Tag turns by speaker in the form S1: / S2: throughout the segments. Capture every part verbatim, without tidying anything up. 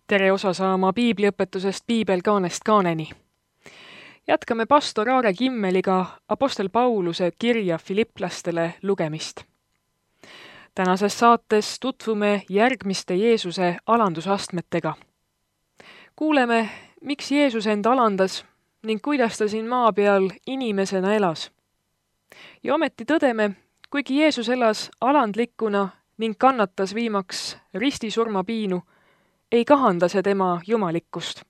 S1: Tere osa saama piibliõpetusest Piibelkaanest kaaneni. Jätkame pastor Aare Kimmeliga Apostel Pauluse kirja Filipplastele lugemist. Tänases saates tutvume järgmiste Jeesuse alandusastmetega. Kuuleme, miks Jeesus end alandas ning kuidas ta siin maa peal inimesena elas. Ja ometi tõdeme, kuigi Jeesus elas alandlikuna ning kannatas viimaks ristisurma piinu, ei kahanda see tema jumalikkust.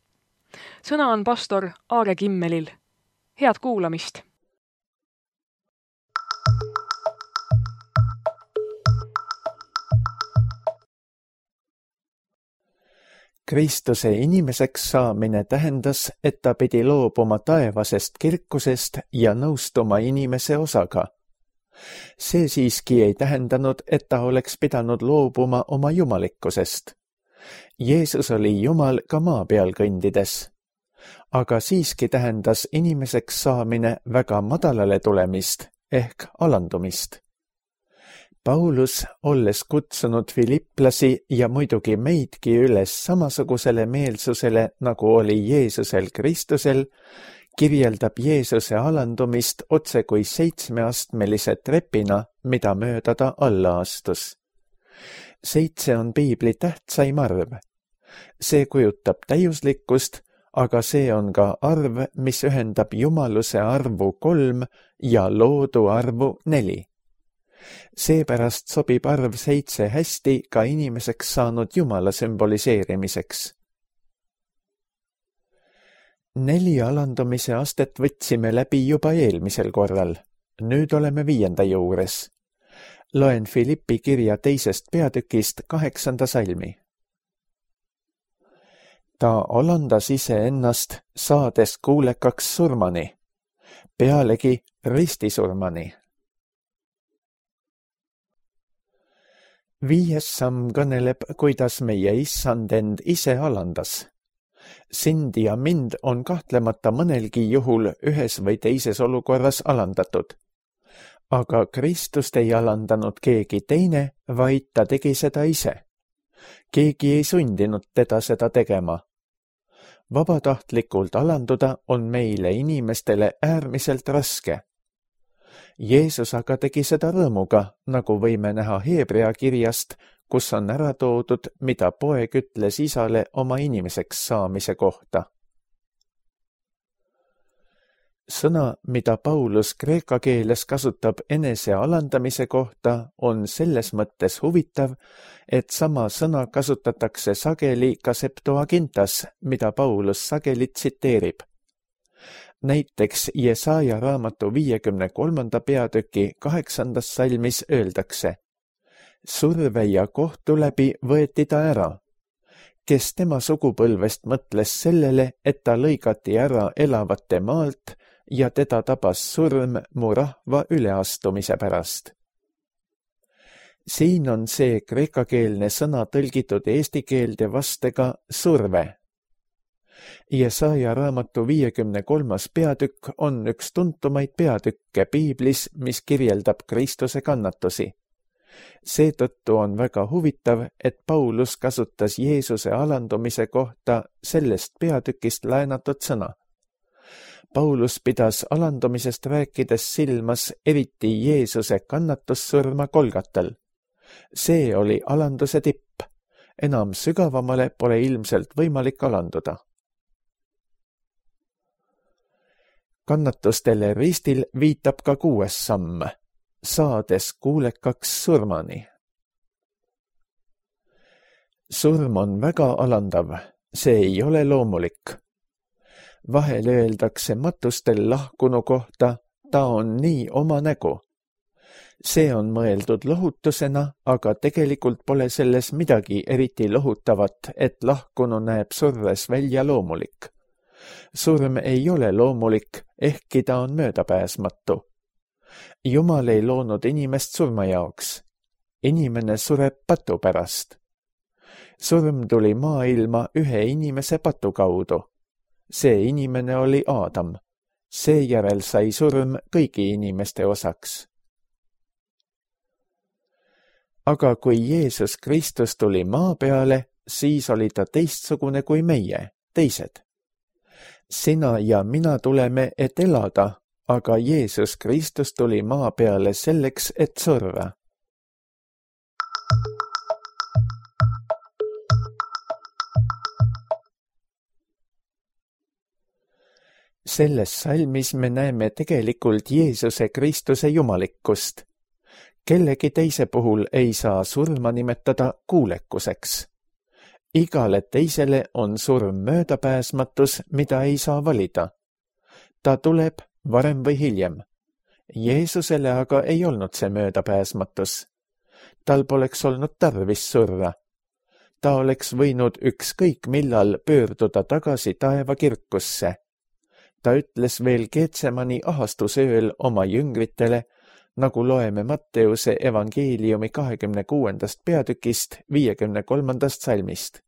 S1: Sõna on pastor Aare Kimmelil. Head kuulamist!
S2: Kristuse inimeseks saamine tähendas, et ta pidi loobuma taevasest kirkusest ja nõustuma inimese osaga. See siiski ei tähendanud, et ta oleks pidanud loobuma oma jumalikkusest. Jeesus oli Jumal ka maa peal kõndides. Aga siiski tähendas inimeseks saamine väga madalale tulemist ehk alandumist. Paulus, olles kutsunud filipplasi ja muidugi meidki üles samasugusele meelsusele, nagu oli Jeesusel Kristusel, kirjeldab Jeesuse alandumist otse kui seitsmeastmelise trepina, mida mööda ta alla astus. Seitse on piibli tähtsaim arv. See kujutab täiuslikkust, aga see on ka arv, mis ühendab jumaluse arvu kolm ja loodu arvu neli. Seepärast sobib arv seitse hästi ka inimeseks saanud Jumala sümboliseerimiseks. Neli alandumise astet võtsime läbi juba eelmisel korral. Nüüd oleme viienda juures. Loen Filippi kirja teisest peatükist kaheksanda salmi. Ta alandas iseennast, saades kuulekaks surmani, pealegi ristisurmani. Viies samm kõneleb, kuidas meie issand end ise alandas. Sind ja mind on kahtlemata mõnelgi juhul ühes või teises olukorras alandatud. Aga Kristust ei alandanud keegi teine, vaid ta tegi seda ise. Keegi ei sundinud teda seda tegema. Vabatahtlikult alanduda on meile inimestele äärmiselt raske. Jeesus aga tegi seda rõõmuga, nagu võime näha Heebrea kirjast, kus on ära toodud, mida poeg ütles isale oma inimeseks saamise kohta. Sõna, mida Paulus kreeka keeles kasutab enese alandamise kohta, on selles mõttes huvitav, et sama sõna kasutatakse sageli ka Septuagintas, mida Paulus sageli tsiteerib. Näiteks Jesaja raamatu viiekümne kolmanda peatüki kaheksandas salmis öeldakse: surve ja kohtu läbi võeti ta ära, kes tema sugupõlvest mõtles sellele, et ta lõigati ära elavate maalt ja teda tabas surm mu rahva üleastumise pärast. Siin on see kreekakeelne sõna tõlgitud eesti keelde vastega surve. Jesaja raamatu viiekümne kolmas peatükk on üks tuntumaid peatükke piiblis, mis kirjeldab Kristuse kannatusi. Seetõttu on väga huvitav, et Paulus kasutas Jeesuse alandumise kohta sellest peatükist laenatud sõna. Paulus pidas alandumisest rääkides silmas eriti Jeesuse kannatussurma Golgatal. See oli alanduse tipp. Enam sügavamale pole ilmselt võimalik alanduda. Kannatustele ristil viitab ka kuues samm, saades kuulekaks surmani. Surm on väga alandav, see ei ole loomulik. Vahel öeldakse matustel lahkunu kohta, ta on nii oma nägu. See on mõeldud lohutusena, aga tegelikult pole selles midagi eriti lohutavat, et lahkunu näeb surres välja loomulik. Surm ei ole loomulik, ehkki ta on möödapääsmatu. Jumal ei loonud inimest surma jaoks. Inimene sureb patu pärast. Surm tuli maailma ühe inimese patu kaudu. See inimene oli Aadam. Seejärel sai surm kõigi inimeste osaks. Aga kui Jeesus Kristus tuli maa peale, siis oli ta teistsugune kui meie, teised. Sina ja mina tuleme, et elada, aga Jeesus Kristus tuli maa peale selleks, et surra. Selles salmis me näeme tegelikult Jeesuse Kristuse jumalikkust. Kellegi teise puhul ei saa surma nimetada kuulekuseks. Igale teisele on surm möödapääsmatus, mida ei saa valida. Ta tuleb varem või hiljem. Jeesusele aga ei olnud see möödapääsmatus. Tal poleks olnud tarvis surra. Ta oleks võinud ükskõik millal pöörduda tagasi taeva kirkusse. Ta ütles veel Getsemani ahastusööl oma jüngritele, nagu loeme Matteuse evangeeliumi kahekümne kuuendast peatükist viiekümne kolmandast salmist.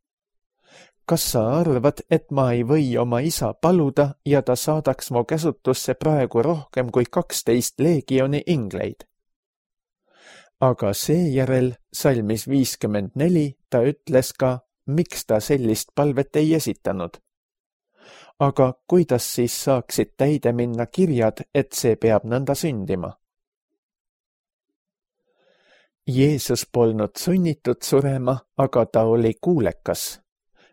S2: Kas sa arvad, et ma ei või oma isa paluda ja ta saadaks mu käsutusse praegu rohkem kui kaksteist leegioni ingleid? Aga seejärel salmis viiskümmend neli ta ütles ka, miks ta sellist palvet ei esitanud. Aga kuidas siis saaksid täide minna kirjad, et see peab nõnda sündima? Jeesus polnud sunnitud surema, aga ta oli kuulekas.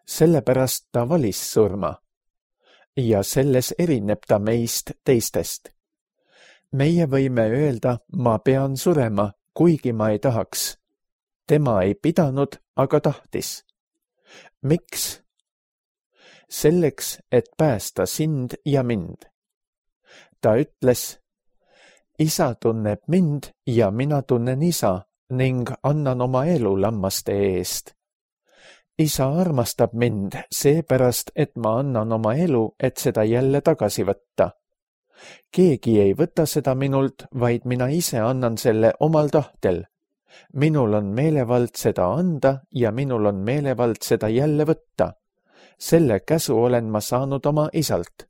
S2: Sellepärast ta valis surma. Ja selles erineb ta meist teistest. Meie võime öelda, ma pean surema, kuigi ma ei tahaks. Tema ei pidanud, aga tahtis. Miks? Selleks, et päästa sind ja mind. Ta ütles, isa tunneb mind ja mina tunnen isa ning annan oma elu lammaste eest. Isa armastab mind seepärast, et ma annan oma elu, et seda jälle tagasi võtta. Keegi ei võta seda minult, vaid mina ise annan selle omal tahtel. Minul on meelevald seda anda ja minul on meelevald seda jälle võtta. Selle käsu olen ma saanud oma isalt.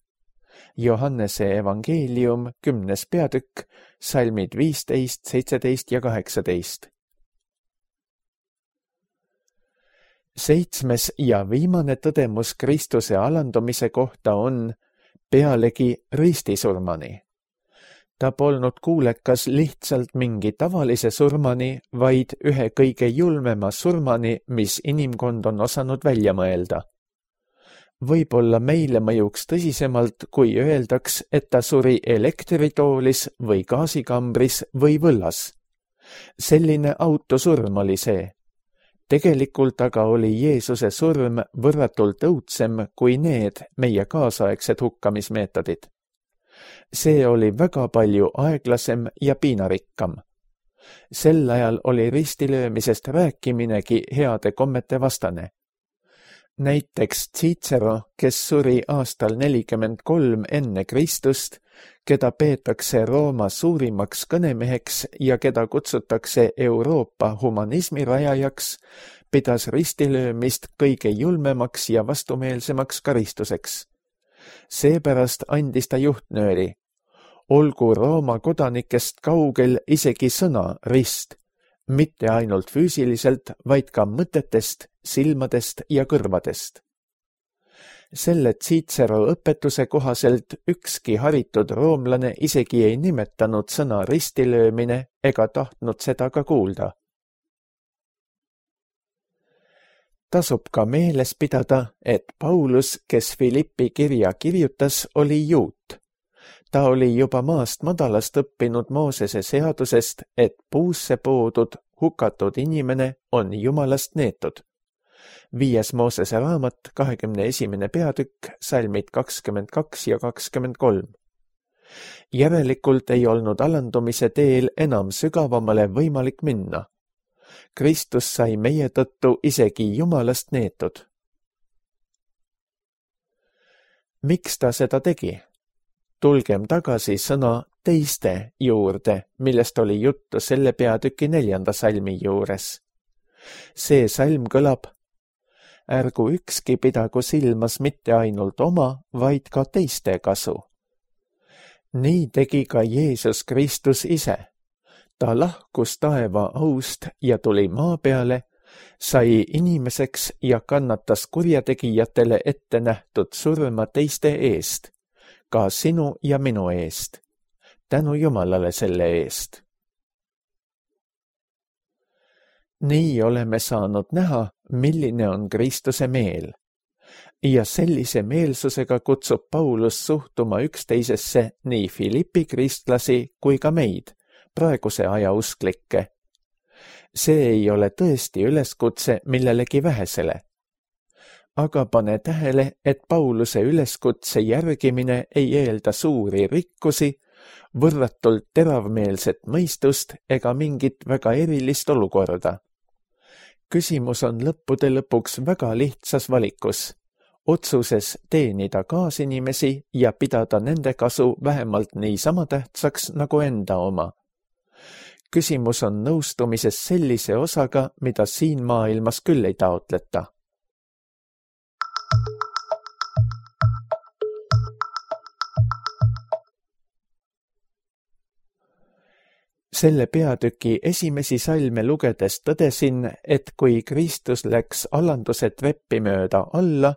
S2: Johannese evangeelium, kümnes peatükk, salmid viisteist, seitseteist ja kaheksateist. Seitsmes ja viimane tõdemus Kristuse alandumise kohta on pealegi ristisurmani. Ta polnud kuulekas lihtsalt mingi tavalise surmani, vaid ühe kõige julmema surmani, mis inimkond on osanud välja mõelda. Võib-olla meile mõjuks tõsisemalt, kui öeldaks, et ta suri elektritoolis või gaasikambris või võllas. Selline autosurm oli see. Tegelikult aga oli Jeesuse surm võrratult õudsem kui need meie kaasaegsed hukkamismeetodid. See oli väga palju aeglasem ja piinarikkam. Sel ajal oli ristilöömisest rääkiminegi heade kommete vastane. Näiteks Cicero, kes suri aastal nelikümmend kolm enne Kristust, keda peetakse Rooma suurimaks kõnemeheks ja keda kutsutakse Euroopa humanismi rajajaks, pidas ristilöömist kõige julmemaks ja vastumeelsemaks karistuseks. Seepärast andis ta juhtnööri. Olgu Rooma kodanikest kaugel isegi sõna rist, mitte ainult füüsiliselt, vaid ka mõtetest, silmadest ja kõrvadest. Selle Cicero õpetuse kohaselt ükski haritud roomlane isegi ei nimetanud sõna ristilöömine ega tahtnud seda ka kuulda. Tasub ka meeles pidada, et Paulus, kes Filippi kirja kirjutas, oli juut. Ta oli juba maast madalast õppinud Moosese seadusest, et puusse poodud, hukatud inimene on Jumalast neetud. Viies Moosese raamat, kahekümne esimene peatükk, salmid kakskümmend kaks ja kakskümmend kolm. Järelikult ei olnud alandumise teel enam sügavamale võimalik minna. Kristus sai meie tõttu isegi Jumalast neetud. Miks ta seda tegi? Tulgem tagasi sõna teiste juurde, millest oli juttu selle peatüki neljanda salmi juures. See salm kõlab: ärgu ükski pidagu silmas mitte ainult oma, vaid ka teiste kasu. Nii tegi ka Jeesus Kristus ise. Ta lahkus taeva aust ja tuli maa peale, sai inimeseks ja kannatas kurjategijatele ette nähtud surma teiste eest, ka sinu ja minu eest. Tänu Jumalale selle eest. Nii oleme saanud näha, milline on Kristuse meel. Ja sellise meelsusega kutsub Paulus suhtuma üksteisesse nii Philippi kristlasi kui ka meid, praeguse aja usklikke. See ei ole tõesti üleskutse millelegi vähesele. Aga pane tähele, et Pauluse üleskutse järgimine ei eelda suuri rikkusi, võrratult teravmeelset mõistust ega mingit väga erilist olukorda. Küsimus on lõppude lõpuks väga lihtsas valikus, otsuses teenida kaasinimesi ja pidada nende kasu vähemalt niisama tähtsaks nagu enda oma. Küsimus on nõustumises sellise osaga, mida siin maailmas küll ei taotleta. Selle peatüki esimesi salme lugedes tõdesin, et kui Kristus läks alanduse treppi mööda alla,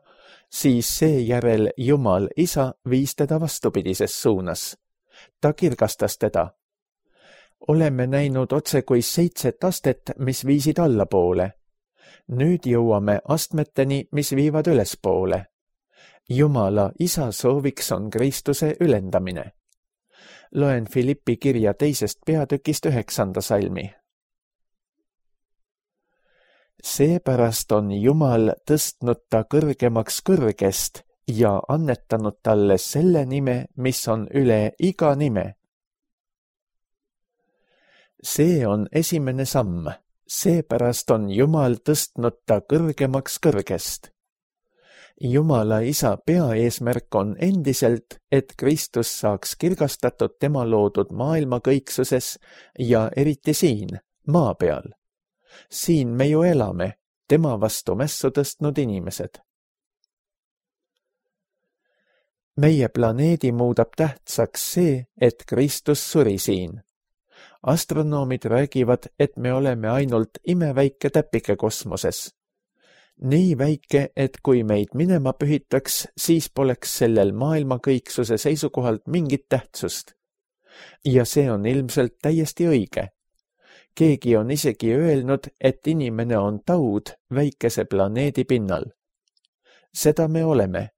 S2: siis seejärel Jumal Isa viis teda vastupidises suunas. Ta kirgastas teda. Oleme näinud otse kui seitset astet, mis viisid allapoole. Nüüd jõuame astmeteni, mis viivad ülespoole. Jumala Isa sooviks on Kristuse ülendamine. Loen Philippi kirja teisest peatükist üheksanda salmi. Seepärast on Jumal tõstnud ta kõrgemaks kõrgest ja annetanud talle selle nime, mis on üle iga nime. See on esimene samm, seepärast on Jumal tõstnud ta kõrgemaks kõrgest. Jumala Isa peaeesmärk on endiselt, et Kristus saaks kirgastatud tema loodud maailma kõiksuses ja eriti siin, maa peal. Siin me ju elame, tema vastu mässu tõstnud inimesed. Meie planeedi muudab tähtsaks see, et Kristus suri siin. Astronoomid räägivad, et me oleme ainult imeväike täpike kosmoses. Nii väike, et kui meid minema pühitaks, siis poleks sellel maailma kõiksuse seisukohalt mingit tähtsust. Ja see on ilmselt täiesti õige. Keegi on isegi öelnud, et inimene on taud väikese planeedi pinnal. Seda me oleme.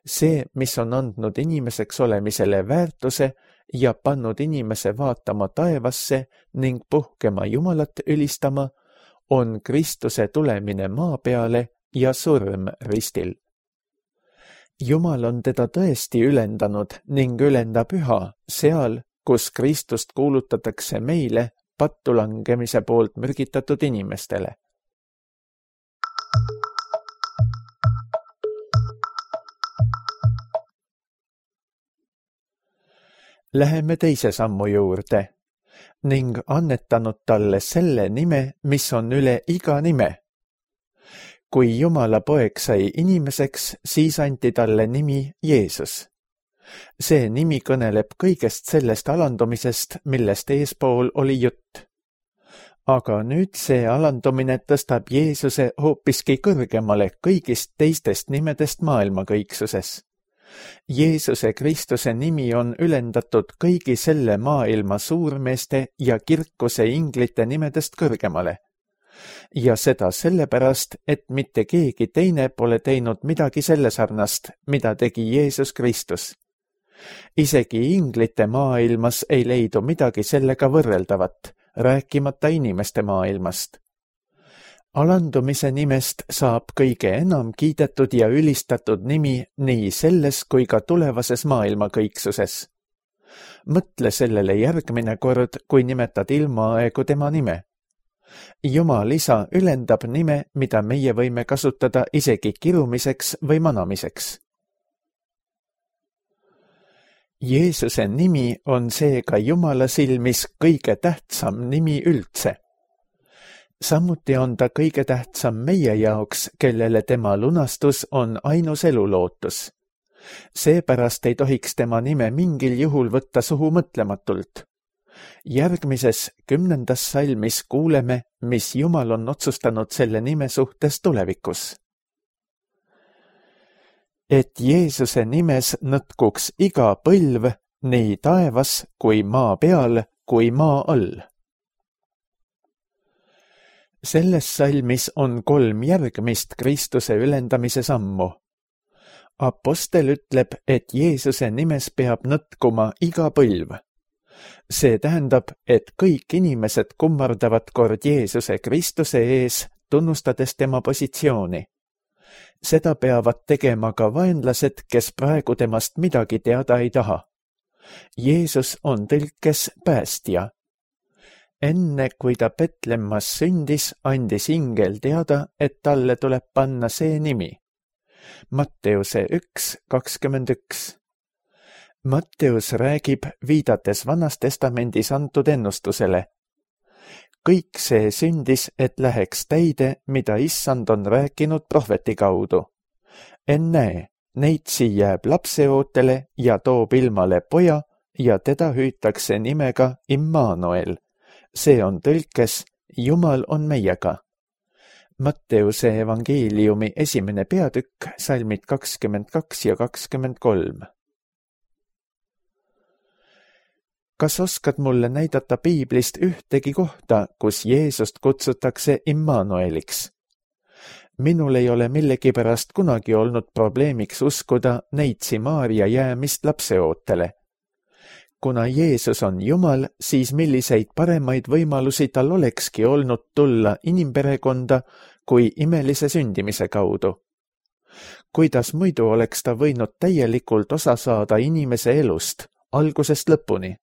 S2: See, mis on andnud inimeseks olemisele väärtuse ja pannud inimese vaatama taevasse ning puhkema Jumalat ülistama, on Kristuse tulemine maa peale ja surm ristil. Jumal on teda tõesti ülendanud ning ülendab üha seal, kus Kristust kuulutatakse meile pattulangemise poolt mürgitatud inimestele. Läheme teise sammu juurde ning annetanud talle selle nime, mis on üle iga nime. Kui Jumala poeg sai inimeseks, siis anti talle nimi Jeesus. See nimi kõneleb kõigest sellest alandumisest, millest eespool oli jutt. Aga nüüd see alandumine tõstab Jeesuse hoopiski kõrgemale kõigist teistest nimedest maailma kõiksuses. Jeesuse Kristuse nimi on ülendatud kõigi selle maailma suurmeeste ja kirkuse inglite nimedest kõrgemale. Ja seda sellepärast, et mitte keegi teine pole teinud midagi selle sarnast, mida tegi Jeesus Kristus. Isegi inglite maailmas ei leidu midagi sellega võrreldavat, rääkimata inimeste maailmast. Alandumise nimest saab kõige enam kiidetud ja ülistatud nimi nii selles kui ka tulevases maailma kõiksuses. Mõtle sellele järgmine kord, kui nimetad ilmaaegu tema nime. Jumal Isa ülendab nime, mida meie võime kasutada isegi kirumiseks või manamiseks. Jeesuse nimi on seega Jumala silmis kõige tähtsam nimi üldse. Samuti on ta kõige tähtsam meie jaoks, kellele tema lunastus on ainus elulootus. Seepärast ei tohiks tema nime mingil juhul võtta suhu mõtlematult. Järgmises kümnendas salmis kuuleme, mis Jumal on otsustanud selle nime suhtes tulevikus. Et Jeesuse nimes nõtkuks iga põlv, nii taevas kui maa peal kui maa all. Selles salmis on kolm järgmist Kristuse ülendamise sammu. Apostel ütleb, et Jeesuse nimes peab nõtkuma iga põlv. See tähendab, et kõik inimesed kummardavad kord Jeesuse Kristuse ees, tunnustades tema positsiooni. Seda peavad tegema ka vaenlased, kes praegu temast midagi teada ei taha. Jeesus on tõlkes päästja. Enne kui ta Betlemmas sündis, andis ingel teada, et talle tuleb panna see nimi. Matteuse üks kakskümmend üks. Matteus räägib, viidates Vanas Testamendis antud ennustusele. Kõik see sündis, et läheks täide, mida Issand on rääkinud prohveti kaudu. Ennäe, neitsi jääb lapseootele ja toob ilmale poja ja teda hüütakse nimega Immanuel. See on tõlkes, Jumal on meiega. Matteuse evangeeliumi esimene peatükk, salmid kakskümmend kaks ja kakskümmend kolm. Kas oskad mulle näidata piiblist ühtegi kohta, kus Jeesust kutsutakse Immanueliks? Minul ei ole millegipärast kunagi olnud probleemiks uskuda neitsi Maaria jäämist lapseootele. Kuna Jeesus on Jumal, siis milliseid paremaid võimalusi tal olekski olnud tulla inimperekonda kui imelise sündimise kaudu? Kuidas muidu oleks ta võinud täielikult osa saada inimese elust, algusest lõpuni?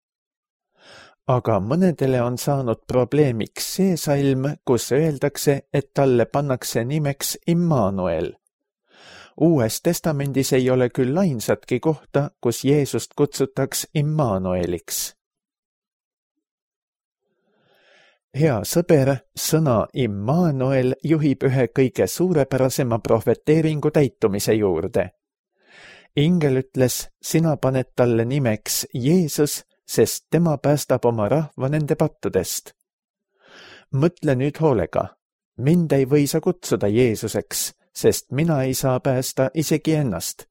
S2: Aga mõnedele on saanud probleemiks see salm, kus öeldakse, et talle pannakse nimeks Immanuel. Uues testamendis ei ole küll ainsatki kohta, kus Jeesust kutsutaks Immanueliks. Hea sõber, sõna Immanuel juhib ühe kõige suurepärasema prohveteeringu täitumise juurde. Ingel ütles, sina paned talle nimeks Jeesus, sest tema päästab oma rahva nende pattudest. Mõtle nüüd hoolega. Mind ei või sa kutsuda Jeesuseks, sest mina ei saa päästa isegi ennast.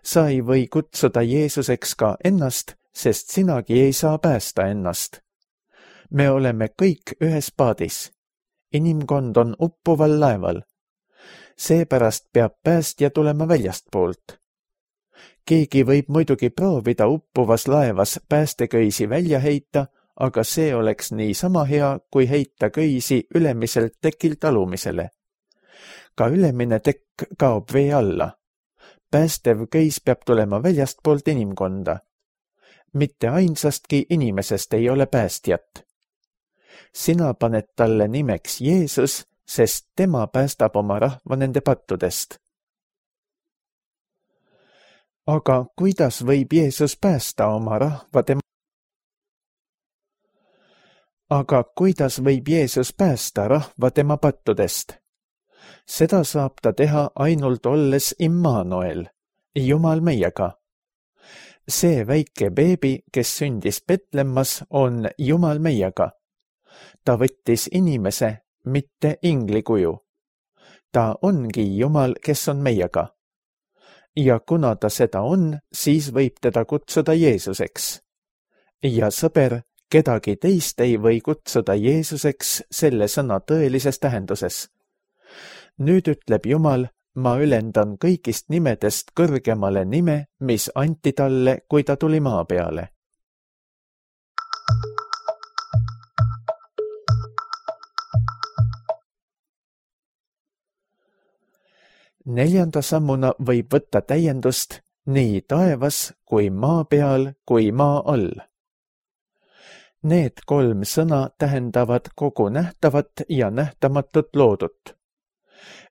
S2: Sa ei või kutsuda Jeesuseks ka ennast, sest sinagi ei saa päästa ennast. Me oleme kõik ühes paadis. Inimkond on uppuval laeval. Seepärast peab päästja tulema väljastpoolt. Keegi võib muidugi proovida uppuvas laevas päästeköisi välja heita, aga see oleks nii sama hea, kui heita köisi ülemiselt tekilt alumisele. Ka ülemine tekk kaob vee alla. Päästev köis peab tulema väljastpoolt inimkonda. Mitte ainsastki inimesest ei ole päästjat. Sina paned talle nimeks Jeesus, sest tema päästab oma rahva nende pattudest. Aga kuidas võib Jeesus päästa oma rahva tema... Aga kuidas võib Jeesus päästa rahva tema pattudest? Seda saab ta teha ainult olles Immanuel, Jumal meiega. See väike beebi, kes sündis Betlemmas, on Jumal meiega. Ta võttis inimese, mitte ingli kuju. Ta ongi Jumal, kes on meiega. Ja kuna ta seda on, siis võib teda kutsuda Jeesuseks. Ja sõber, kedagi teist ei või kutsuda Jeesuseks selle sõna tõelises tähenduses. Nüüd ütleb Jumal, ma ülendan kõigist nimedest kõrgemale nime, mis anti talle, kui ta tuli maa peale. Neljanda sammuna võib võtta täiendust nii taevas kui maa peal kui maa all. Need kolm sõna tähendavad kogu nähtavat ja nähtamatut loodut.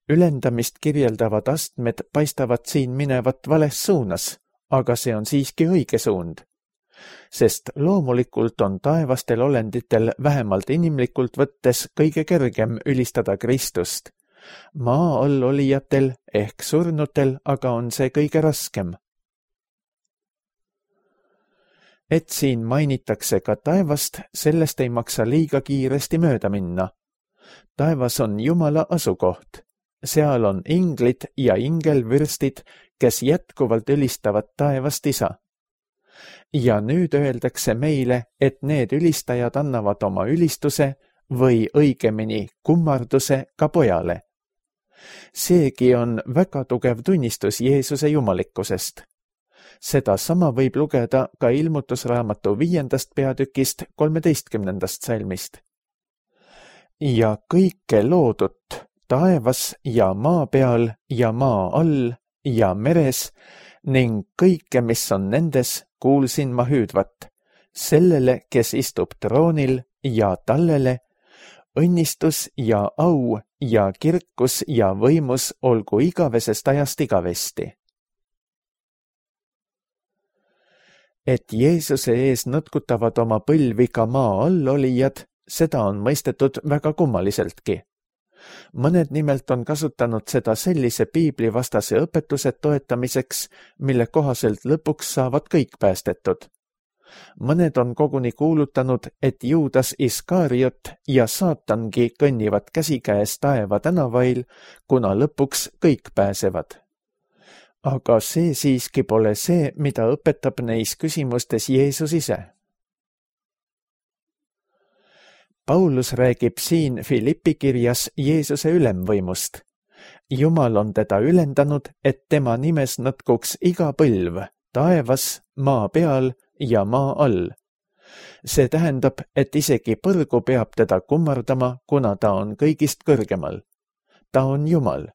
S2: Ülendamist kirjeldavad astmed paistavad siin minevat vales suunas, aga see on siiski õige suund. Sest loomulikult on taevastel olenditel vähemalt inimlikult võttes kõige kergem ülistada Kristust. Maa all olijatel ehk surnutel aga on see kõige raskem. et siin mainitakse ka taevast, sellest ei maksa liiga kiiresti mööda minna. Taevas on Jumala asukoht. Seal on inglid ja ingelvürstid, kes jätkuvalt ülistavad taevast isa. Ja nüüd öeldakse meile, et need ülistajad annavad oma ülistuse või õigemini kummarduse ka pojale. Seegi on väga tugev tunnistus Jeesuse jumalikkusest. Seda sama võib lugeda ka ilmutusraamatu viiendast peatükist kolmeteistkümnendast salmist. Ja kõike loodut taevas ja maa peal ja maa all ja meres ning kõike, mis on nendes, kuulsin ma hüüdvat, sellele, kes istub troonil ja tallele, õnnistus ja au ja kirkus ja võimus olgu igavesest ajast igavesti. Et Jeesuse ees nõtkutavad oma põlvi ka maa all olijad, seda on mõistetud väga kummaliseltki. Mõned nimelt on kasutanud seda sellise piiblivastase õpetuse toetamiseks, mille kohaselt lõpuks saavad kõik päästetud. Mõned on koguni kuulutanud, et Juudas Iskariot ja saatangi kõnnivad käsikäes taeva tänavail, kuna lõpuks kõik pääsevad. Aga see siiski pole see, mida õpetab neis küsimustes Jeesus ise. Paulus räägib siin Filippi kirjas Jeesuse ülemvõimust. Jumal on teda ülendanud, et tema nimes nõtkuks iga põlv, taevas, maa peal ja maa all. See tähendab, et isegi põrgu peab teda kummardama, kuna ta on kõigist kõrgemal. Ta on Jumal.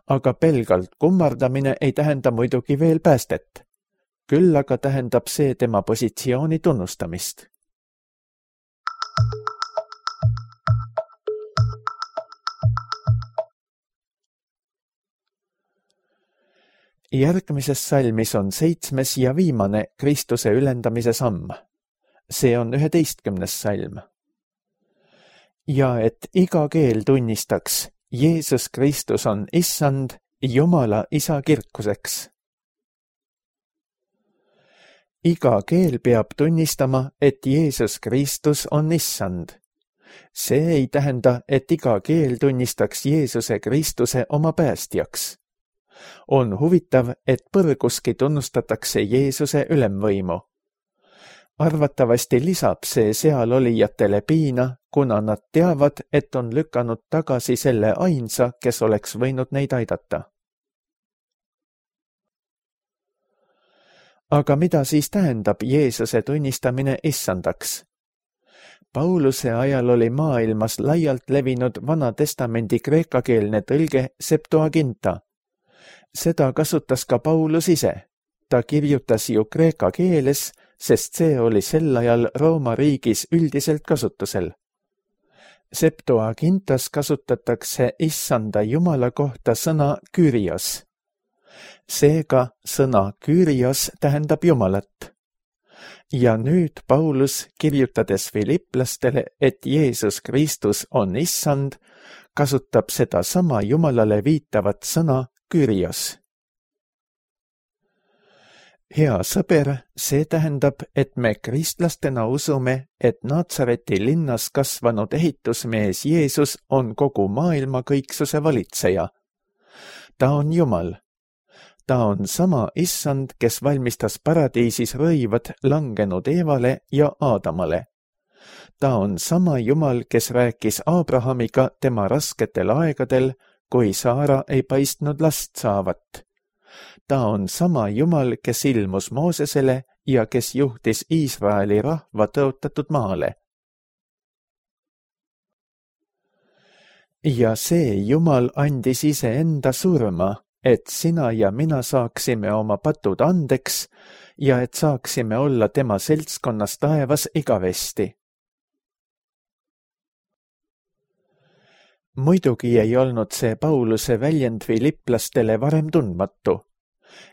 S2: Aga pelgalt kummardamine ei tähenda muidugi veel päästet. Küll aga tähendab see tema positsiooni tunnustamist. Järgmises salmis on seitsmes ja viimane Kristuse ülendamise samm. See on üheteistkümnes salm. Ja et iga keel tunnistaks, Jeesus Kristus on issand, Jumala isa kirkuseks. Iga keel peab tunnistama, et Jeesus Kristus on issand. See ei tähenda, et iga keel tunnistaks Jeesuse Kristuse oma päästjaks. On huvitav, et põrguski tunnustatakse Jeesuse ülemvõimu. Arvatavasti lisab see seal olijatele piina, kuna nad teavad, et on lükanud tagasi selle ainsa, kes oleks võinud neid aidata. Aga mida siis tähendab Jeesuse tunnistamine issandaks? Pauluse ajal oli maailmas laialt levinud Vana Testamendi kreekakeelne tõlge Septuaginta. Seda kasutas ka Paulus ise. Ta kirjutas ju kreeka keeles, sest see oli sel ajal Rooma riigis üldiselt kasutusel. Septuagintas kasutatakse issanda Jumala kohta sõna Kyrios. Seega sõna Kyrios tähendab Jumalat. Ja nüüd Paulus, kirjutades Filipplastele, et Jeesus Kristus on issand, kasutab seda sama Jumalale viitavat sõna Kyrios. Hea sõber, see tähendab, et me kristlastena usume, et Natsareti linnas kasvanud ehitusmees Jeesus on kogu maailma kõiksuse valitseja. Ta on Jumal. Ta on sama issand, kes valmistas paradiisis rõivad langenud Eevale ja Aadamale. Ta on sama Jumal, kes rääkis Abrahamiga tema rasketel aegadel, kui Saara ei paistnud last saavat. Ta on sama Jumal, kes ilmus Moosesele ja kes juhtis Iisraeli rahva tõotatud maale. Ja see Jumal andis iseenda surma, et sina ja mina saaksime oma patud andeks ja et saaksime olla tema seltskonnas taevas igavesti. Muidugi ei olnud see Pauluse väljend filipplastele varem tundmatu.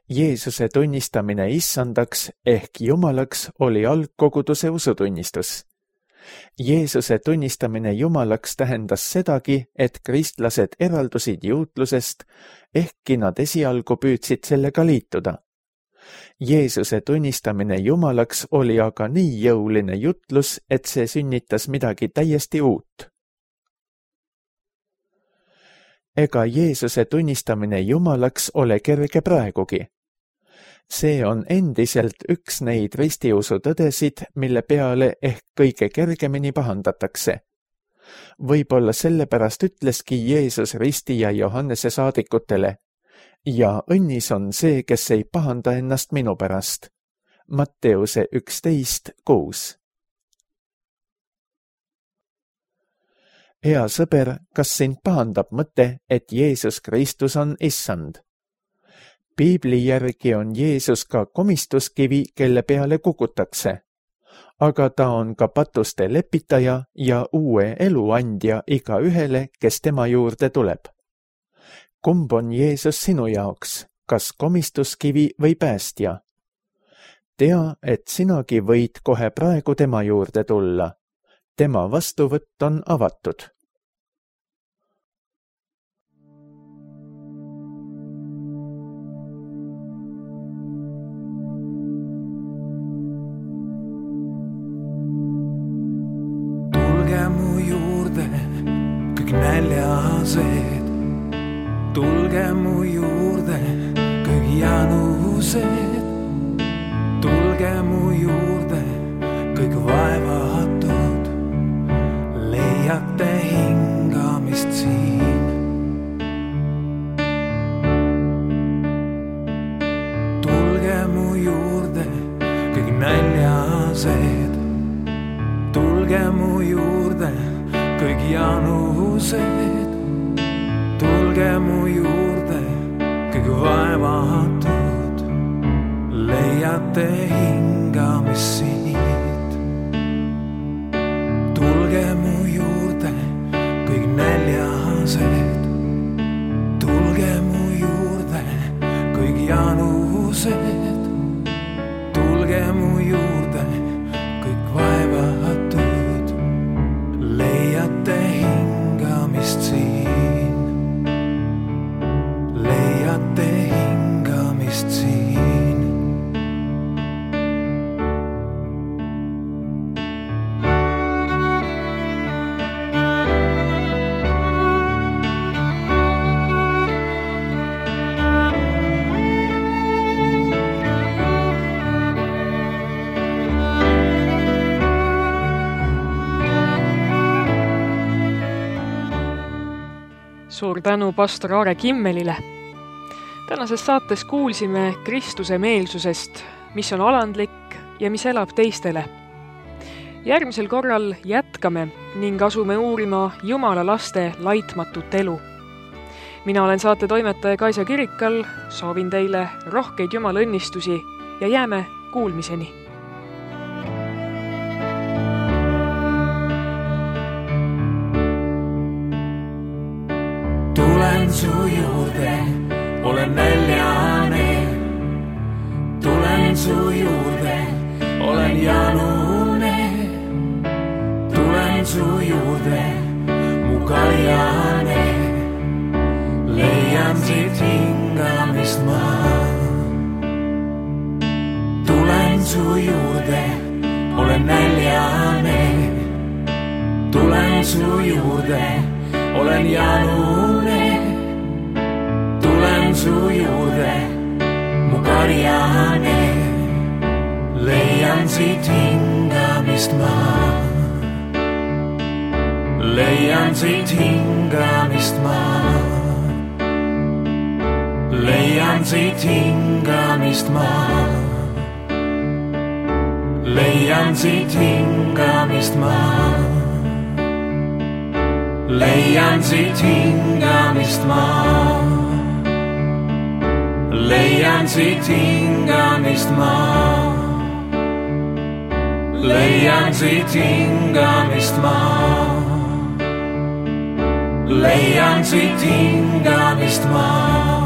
S2: Jeesuse tunnistamine issandaks ehk Jumalaks oli algkoguduse usutunnistus. Jeesuse tunnistamine Jumalaks tähendas sedagi, et kristlased eraldusid juutlusest, ehkki nad esialgu püüdsid sellega liituda. Jeesuse tunnistamine Jumalaks oli aga nii jõuline jutlus, et see sünnitas midagi täiesti uut. Ega Jeesuse tunnistamine Jumalaks ole kerge praegugi. See on endiselt üks neid ristiusu tõdesid, mille peale ehk kõige kergemini pahandatakse. Võib-olla sellepärast ütleski Jeesus risti ja Johannese saadikutele, ja õnnis on see, kes ei pahanda ennast minu pärast. Matteuse üksteist kuus. Hea sõber, kas sind pahandab mõte, et Jeesus Kristus on issand? Piibli järgi on Jeesus ka komistuskivi, kelle peale kukutakse, aga ta on ka patuste lepitaja ja uue elu andja iga ühele, kes tema juurde tuleb. Kumb on Jeesus sinu jaoks, kas komistuskivi või päästja? Tea, et sinagi võid kohe praegu tema juurde tulla. Tema vastuvõtt on avatud.
S3: Tulge mu juurde, kõik näljased. Tulge mu juurde, kõik janused. Tulge mu juurde, kõik vaevatud. Leiate hingamist siin. Tulge mu juurde, kõik näljased. Tulge mu juurde, kõik janused. Tulge mu juurde, kõik vaevatud. Leiate hingamist siit. Tulge mu juurde, kõik näljased. Tulge mu juurde, kõik janused. Tulge mu juurde, kõik vaevatud. Leiate hingamist siin. Leiate hingamist siin.
S1: Suur tänu pastor Aare Kimmelile. Tänases saates kuulsime Kristuse meelsusest, mis on alandlik ja mis elab teistele. Järgmisel korral jätkame ning asume uurima Jumala laste laitmatut elu. Mina olen saate toimetaja Kaisa Kirikal, soovin teile rohkeid Jumala õnnistusi ja jääme kuulmiseni.
S3: Tulen su juurde, olen näljane. Tulen su juurde, olen janune. Tulen su juurde, mu kaljane. Leian siit hingamist ma. Tulen su juurde, olen näljane. Tulen su juurde, olen janune. Tulen su juurde, mu karjane. Leian siit hingamist ma. Leian siit hingamist ma. Leian siit hingamist ma. Leian siit hingamist ma. Leian siit hingamist ma. Leian siit hingamist ma. Leian siit hingamist ma. Leian siit hingamist ma.